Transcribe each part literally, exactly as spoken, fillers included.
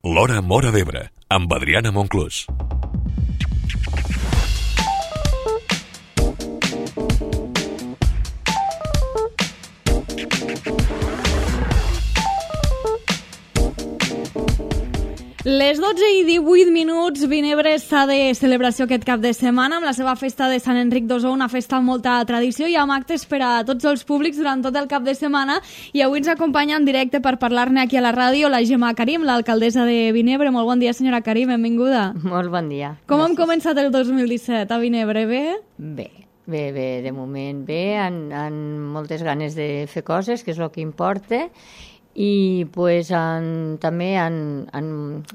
L'Hora Móra d'Ebre, amb Adriana Monclús. Les dotze i divuit minuts, Vinebre està de celebració aquest cap de setmana amb la seva festa de Sant Enric d'Ossó, una festa amb molta tradició i amb actes per a tots els públics durant tot el cap de setmana. I avui ens acompanya en directe per parlar-ne aquí a la ràdio la Gemma Karim, l'alcaldessa de Vinebre. Molt bon dia, senyora Karim, benvinguda. Molt bon dia. Com hem començat el dos mil disset a Vinebre? Bé? Bé, bé, bé, de moment bé, amb, amb moltes ganes de fer coses, que és el que importa, i pues, en, també en, en,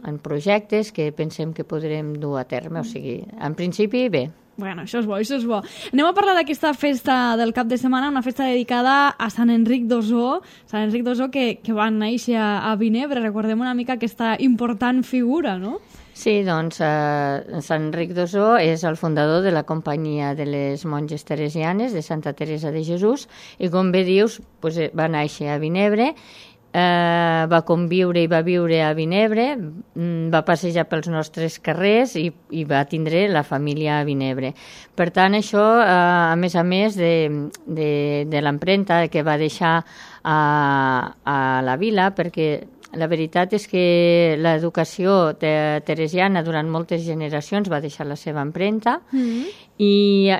en projectes que pensem que podrem dur a terme, o sigui, en principi bé. Bueno, això és bo, això és bo. Anem a parlar d'aquesta festa del cap de setmana, una festa dedicada a Sant Enric d'Ossó, Sant Enric d'Ossó que, que va néixer a, a Vinebre. Recordem una mica aquesta important figura, no? Sí, doncs eh, Sant Enric d'Ossó és el fundador de la companyia de les monges teresianes de Santa Teresa de Jesús i, com bé dius, pues, va néixer a Vinebre. Uh, va conviure i va viure a Vinebre, va passejar pels nostres carrers i, i va tindre la família a Vinebre. Per tant, això, uh, a més a més de, de, de l'empremta que va deixar a, a la vila, perquè la veritat és que l'educació te teresiana durant moltes generacions va deixar la seva empremta mm-hmm. i,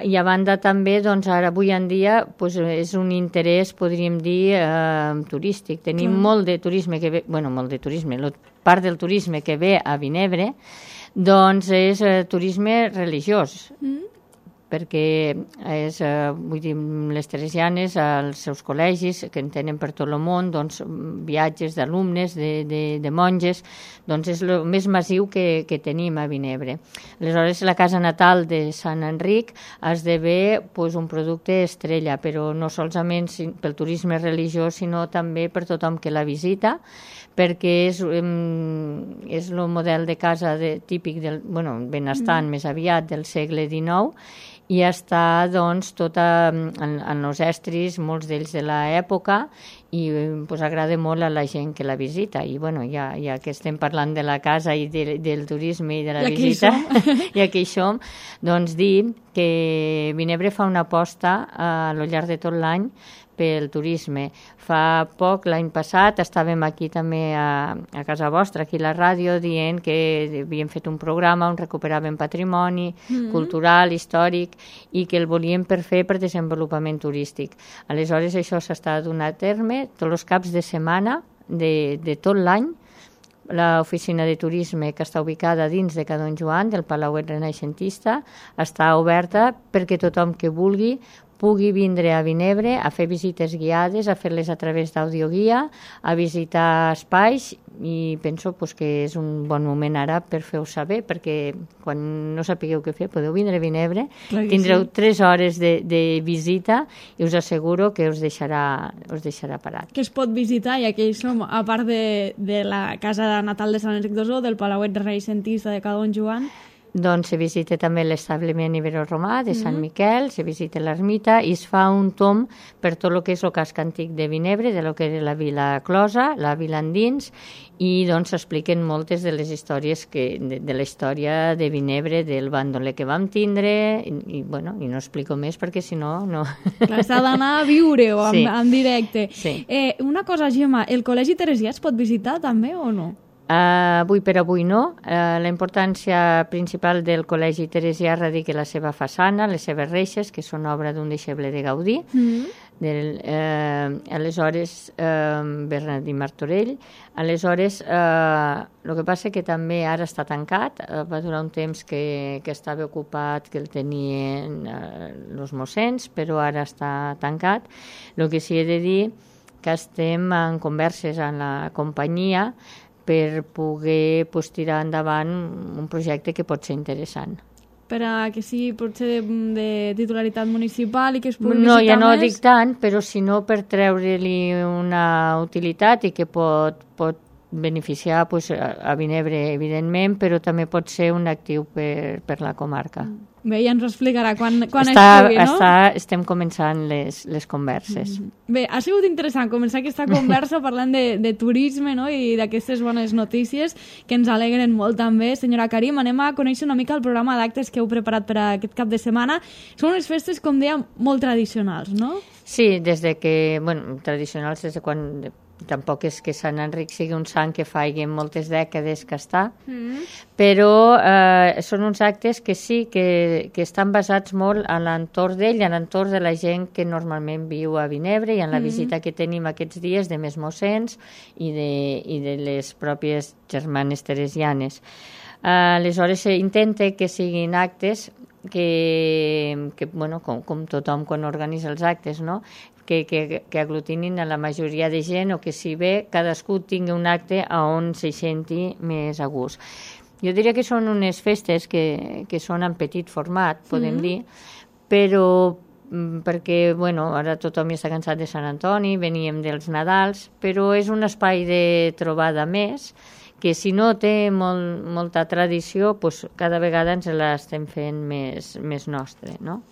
i a banda també, doncs ara avui en dia pues, és un interès, podríem dir, eh, turístic. Tenim mm. molt de turisme que ve, bueno, molt de turisme, la part del turisme que ve a Vinebre, doncs és eh, turisme religiós. Mm. perquè és, eh, vull dir, les teresianes, als seus col·legis, que en tenen per tot el món, doncs, viatges d'alumnes, de, de, de monges, doncs és el més massiu que, que tenim a Vinebre. Aleshores, la casa natal de Sant Enric esdevé pues, un producte estrella, però no solament pel turisme religiós, sinó també per tothom que la visita, perquè és, és el model de casa de, típic del, bueno, benestant, mm. més aviat del segle dinou, i està, doncs, tota en, en els estris, molts d'ells de l'època, i pues, agrada molt a la gent que la visita. I, bueno, ja, ja que estem parlant de la casa i de, del turisme i de la I visita, i aquí hi som, doncs dir que Vinebre fa una aposta a lo llarg de tot l'any pel turisme. Fa poc, l'any passat, estàvem aquí també a, a casa vostra, aquí a la ràdio, dient que havíem fet un programa on recuperàvem patrimoni mm-hmm. cultural, històric, i que el volíem per fer per desenvolupament turístic. Aleshores, això s'està donant a terme tots els caps de setmana de, de tot l'any. L'oficina de turisme, que està ubicada dins de Ca Don Joan, del Palauet Renaixentista, està oberta perquè tothom que vulgui pugui vindre a Vinebre a fer visites guiades, a fer-les a través d'audioguia, a visitar espais, i penso pues, que és un bon moment ara per fer-ho saber, perquè quan no sapigueu què fer podeu vindre a Vinebre, tindreu sí. tres hores de, de visita i us asseguro que us deixarà, us deixarà parat. Que es pot visitar, i aquí som, a part de, de la casa natal de Sant Enric d'Ossó, del Palauet Renaixentista de Ca Don Joan? Doncs se visita també l'establiment ibero-romà de Sant Miquel, se visita l'ermita i es fa un tom per tot el que és el casc antic de Vinebre, de lo que era la vila closa, la vila endins, i doncs s'expliquen moltes de les històries que, de, de la història de Vinebre, del bandoler que vam tindre, i, i, bueno, i no explico més perquè si no... no. Clar, s'ha d'anar a viure-ho en, sí. en directe. Sí. Eh, una cosa, Gemma, el Col·legi Teresià es pot visitar també o no? Uh, avui per avui no. Uh, la importància principal del Col·legi Teresià radica la seva façana, les seves reixes, que són obra d'un deixeble de Gaudí, mm-hmm. del, uh, aleshores uh, Bernardí Martorell. Aleshores, uh, el que passa que també ara està tancat, uh, va durar un temps que, que estava ocupat, que el tenien els uh, mossens, però ara està tancat. El que sí he de dir que estem en converses amb la companyia per poder pues, tirar endavant un projecte que pot ser interessant. Per a que sigui potser de, de titularitat municipal i que es pugui no, visitar ja no més? dic tant, però si no per treure-li una utilitat i que pot, pot beneficiar pues, a, a Vinebre, evidentment, però també pot ser un actiu per, per la comarca. Bé, ja ens ho explicarà quan, quan està, es pugui, no? Està, estem començant les, les converses. Bé, ha sigut interessant començar aquesta conversa parlant de, de turisme, no?, i d'aquestes bones notícies que ens alegren molt també. Senyora Karim, anem a conèixer una mica el programa d'actes que heu preparat per a aquest cap de setmana. Són unes festes, com dèiem, molt tradicionals, no? Sí, des de que, bueno, tradicionals des de quan... Tampoc és que Sant Enric sigui un sant que faci moltes dècades que està, mm. però eh, són uns actes que sí, que, que estan basats molt a l'entorn d'ell, a l'entorn de la gent que normalment viu a Vinebre i en la mm. visita que tenim aquests dies de més mossens i de, i de les pròpies germanes teresianes. Eh, aleshores, intenta que siguin actes que, que bueno, com, com tothom quan organitza els actes, no?, Que, que, que aglutinin a la majoria de gent o que si bé cadascú tingui un acte a on se senti més a gust. Jo diria que són unes festes que, que són en petit format, podem mm. dir, però perquè, bueno, ara tothom ja està cansat de Sant Antoni, veníem dels Nadals, però és un espai de trobada més que si no té molt, molta tradició, pues cada vegada ens l'estem fent més, més nostre, no?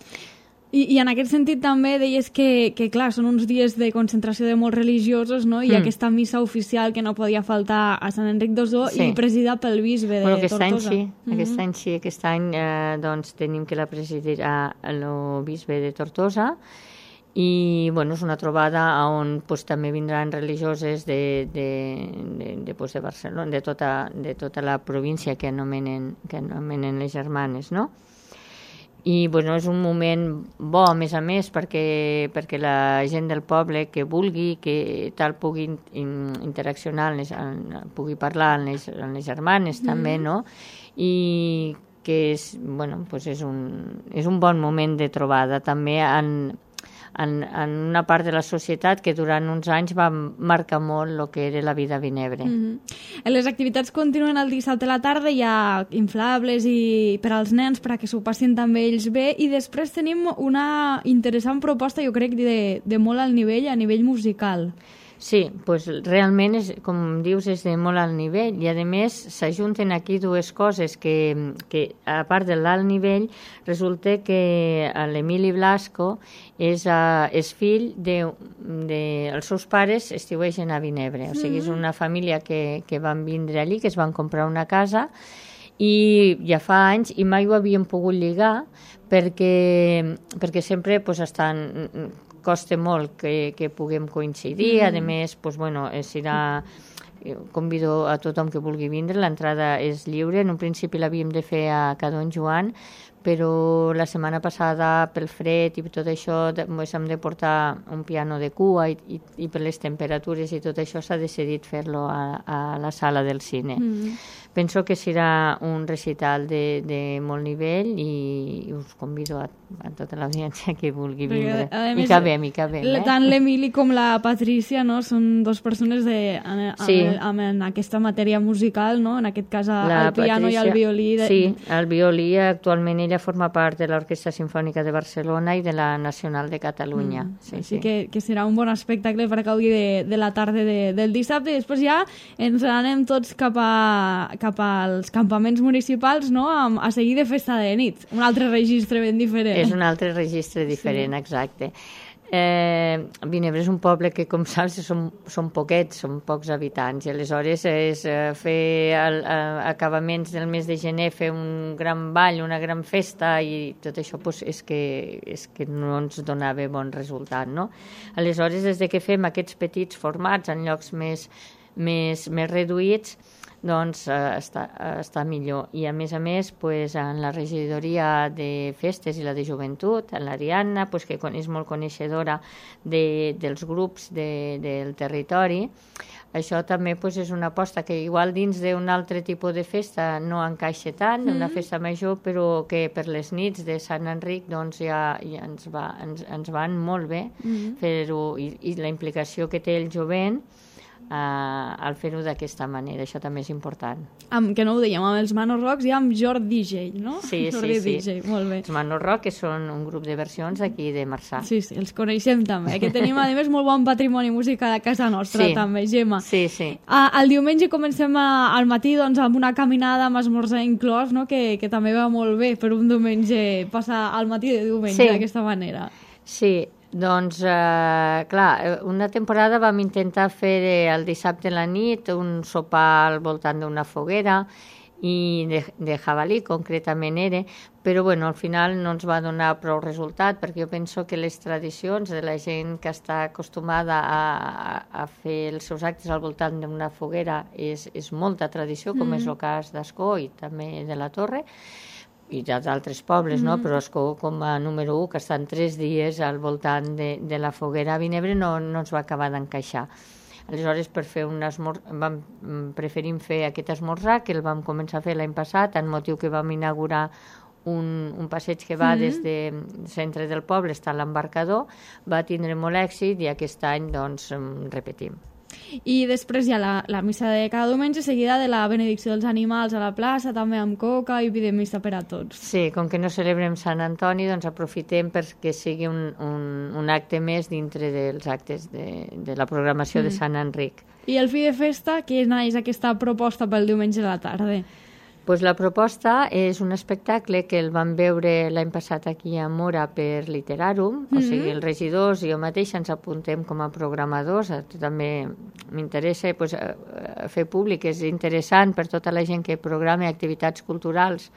I, I en aquest sentit també deies que, que clar, són uns dies de concentració de molts religiosos, no? I mm. aquesta missa oficial que no podia faltar a Sant Enric d'Ossó sí. i presidida pel bisbe de bueno, aquest Tortosa. Any sí, mm-hmm. Aquest any sí, aquest any eh, doncs, tenim que la presidirà el bisbe de Tortosa i bueno, és una trobada on pues, també vindran religioses de, de, de, de, pues, de Barcelona, de tota, de tota la província que anomenen, que anomenen les germanes, no? I bueno, és un moment bo, a més a més, perquè, perquè la gent del poble que vulgui, que tal pugui in, interaccionar, les, en, pugui parlar amb les, amb les germanes mm. també, no? I que és, bueno, pues és, un, és un bon moment de trobada també en, en, en una part de la societat que durant uns anys va marcar molt el que era la vida a Vinebre. Mm-hmm. Les activitats continuen el dissabte a la tarda, hi ha inflables i per als nens perquè s'ho passin també ells bé, i després tenim una interessant proposta, jo crec, de, de molt alt nivell, a nivell musical. Sí, pues realment, és, com dius, és de molt alt nivell i a més s'ajunten aquí dues coses que, que a part de l'alt nivell resulta que l'Emili Blasco és, uh, és fill de, de... Els seus pares estiuegen a Vinebre, o sigui, és una família que, que van vindre allí, que es van comprar una casa i ja fa anys i mai ho havien pogut lligar perquè, perquè sempre pues, estan... costa molt que, que puguem coincidir, mm. a més, pues, bueno, serà... Convido a tothom que vulgui vindre, l'entrada és lliure, en un principi l'havíem de fer a Ca Don Joan, però la setmana passada pel fred i tot això pues, hem de portar un piano de cua i, i, i per les temperatures i tot això s'ha decidit fer-lo a, a la sala del cine. Mm. Penso que serà un recital de, de molt nivell i us convido a, a tota l'audiència que vulgui vindre. Perquè, més, I que bé, i que bé. Eh? Tant l'Emili com la Patrícia, no? Són dos persones de, en, sí. amb, amb, en aquesta matèria musical, no? En aquest cas el la piano Patrícia, i el violí. De... Sí, el violí actualment ella forma part de l'Orquestra Simfònica de Barcelona i de la Nacional de Catalunya. Mm. Sí, Així sí. que, que serà un bon espectacle per gaudir de, de la tarda de, del dissabte i després ja ens anem tots cap a cap als campaments municipals, no?, a, a seguir de festa de nit. Un altre registre ben diferent. És un altre registre diferent, sí. Exacte. Eh, Vinebre és un poble que, com saps, són, són poquets, són pocs habitants, i aleshores és eh, fer el, eh, acabaments del mes de gener, fer un gran ball, una gran festa, i tot això pues, és, que, és que no ens donava bon resultat, no? Aleshores, des de que fem aquests petits formats en llocs més, més, més reduïts, doncs eh, està, està millor. I a més a més, pues, en la regidoria de festes i la de joventut, en l'Ariadna, pues, que és molt coneixedora de, dels grups de, del territori, això també pues, és una aposta que igual dins d'un altre tipus de festa no encaixa tant, mm-hmm. una festa major, però que per les nits de Sant Enric doncs, ja, ja ens, va, ens, ens van molt bé mm-hmm. fer-ho, i, i la implicació que té el jovent Uh, al fer-ho d'aquesta manera, això també és important. Amb, que no ho dèiem, amb els Manor Rocks i amb Jordi D J, no? Sí, Jordi sí, D J, sí. molt bé. Els Manor Rock, que són un grup de versions d'aquí de Marçà. Sí, sí, els coneixem també, que tenim a més molt bon patrimoni musical a casa nostra, sí. també, Gemma. Sí, sí. Uh, el diumenge comencem a, al matí doncs, amb una caminada amb esmorzar inclòs, no? que, que també va molt bé per un diumenge, passar al matí de diumenge sí. d'aquesta manera. Sí, doncs, eh, clar, una temporada vam intentar fer el dissabte a la nit un sopar al voltant d'una foguera i de, de jabalí, concretament era, però bueno, al final no ens va donar prou resultat, perquè jo penso que les tradicions de la gent que està acostumada a, a, a fer els seus actes al voltant d'una foguera és, és molta tradició, com mm. és el cas d'Ascó i també de la Torre, i d'altres pobles, no? Mm. Però Ascó com a número un, que estan tres dies al voltant de, de la foguera a Vinebre, no, no ens va acabar d'encaixar. Aleshores, per fer un esmorzar, vam, preferim fer aquest esmorzar, que el vam començar a fer l'any passat, en motiu que vam inaugurar un, un passeig que va mm. des del centre del poble, està a l'embarcador, va tindre molt èxit i aquest any, doncs, repetim. I després hi ha la, la missa de cada diumenge, seguida de la benedicció dels animals a la plaça, també amb coca i de missa per a tots. Sí, com que no celebrem Sant Antoni, doncs aprofitem perquè sigui un, un, un acte més dintre dels actes de, de la programació mm. de Sant Enric. I el fi de festa, què és aquesta proposta pel diumenge a la tarda? Pues la proposta és un espectacle que el vam veure l'any passat aquí a Mora per Literarum, mm-hmm. o sigui, els regidors i jo mateixa ens apuntem com a programadors, també m'interessa pues, fer públic, és interessant per tota la gent que programa activitats culturals,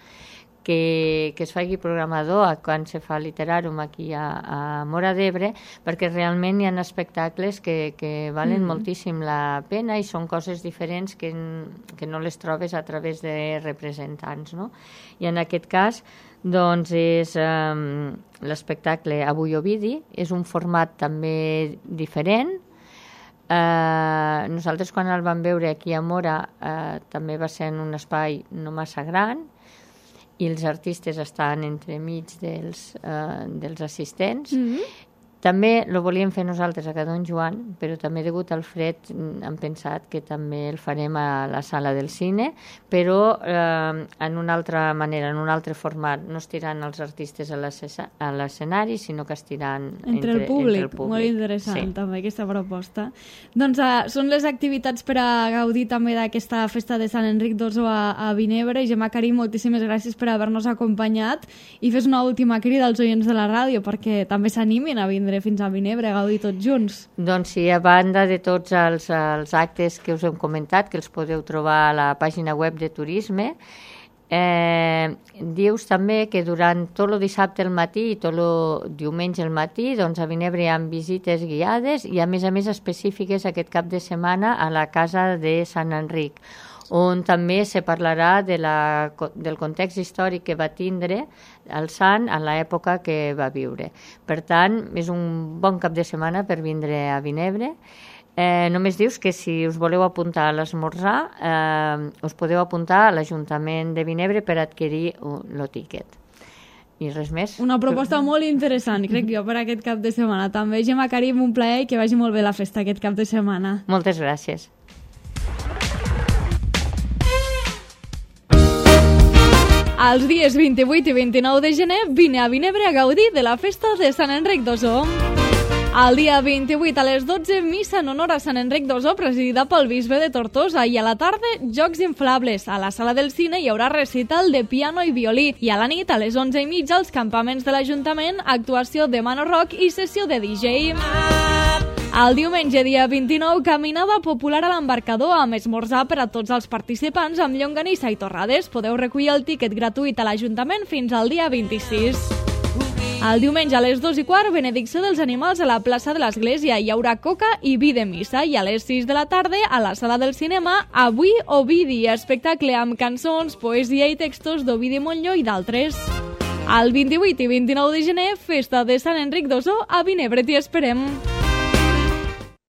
que, que es faci programador quan se fa Literarum aquí a, a Mora d'Ebre, perquè realment hi ha espectacles que, que valen mm. moltíssim la pena i són coses diferents que, que no les trobes a través de representants, no? I en aquest cas, doncs, és um, l'espectacle Avui Ovidi, és un format també diferent. Uh, nosaltres quan el vam veure aquí a Mora uh, també va ser en un espai no massa gran, i els artistes estan entremig dels, eh, dels assistents. Mm-hmm. També lo volíem fer nosaltres a Can Joan, però també degut al fred hem pensat que també el farem a la sala del cine, però eh, en una altra manera, en un altre format. No estiran els artistes a l'escenari, sinó que estiran entre, entre, el, públic. entre el públic. Molt interessant, sí. també, aquesta proposta. Doncs uh, són les activitats per a gaudir també d'aquesta festa de Sant Enric d'Osso a, a Vinebre. Gemma Karim, moltíssimes gràcies per haver-nos acompanyat i fes una última crida als oients de la ràdio perquè també s'animin a vindre fins a Vinebre, a gaudir tots junts. Doncs sí, a banda de tots els, els actes que us hem comentat, que els podeu trobar a la pàgina web de Turisme, eh, dius també que durant tot el dissabte al matí i tot el diumenge al matí, doncs a Vinebre hi ha visites guiades i a més a més específiques aquest cap de setmana a la Casa de Sant Enric, on també se parlarà de la, del context històric que va tindre el sant en l'època que va viure. Per tant, és un bon cap de setmana per vindre a Vinebre. Eh, només dius que si us voleu apuntar a l'esmorzar, eh, us podeu apuntar a l'Ajuntament de Vinebre per adquirir el tiquet. I res més. Una proposta molt interessant, crec jo, per aquest cap de setmana. També, Gemma Karim, un plaer i que vagi molt bé la festa aquest cap de setmana. Moltes gràcies. Els dies vint-i-vuit i vint-i-nou de gener vine a Vinebre a gaudir de la festa de Sant Enric d'Osso. El dia vint-i-vuit a les dotze, missa en honor a Sant Enric d'Osso, presidida pel bisbe de Tortosa, i a la tarda, jocs inflables. A la sala del cine hi haurà recital de piano i violí, i a la nit, a les onze i mitja, als campaments de l'Ajuntament, actuació de Manor Rock i sessió de D J. El diumenge, dia vint-i-nou, caminada popular a l'embarcador amb esmorzar per a tots els participants amb llonganissa i torrades. Podeu recollir el tiquet gratuït a l'Ajuntament fins al dia vint-i-sis. El diumenge a les dos i quart, benedicció dels animals a la plaça de l'Església. Hi haurà coca i vi de missa. I a les sis de la tarda, a la sala del cinema, Avui Ovidi, espectacle amb cançons, poesia i textos d'Ovidi Montllor i d'altres. El vint-i-vuit i vint-i-nou de gener, festa de Sant Enric d'Osso a Vinebre. T'hi esperem.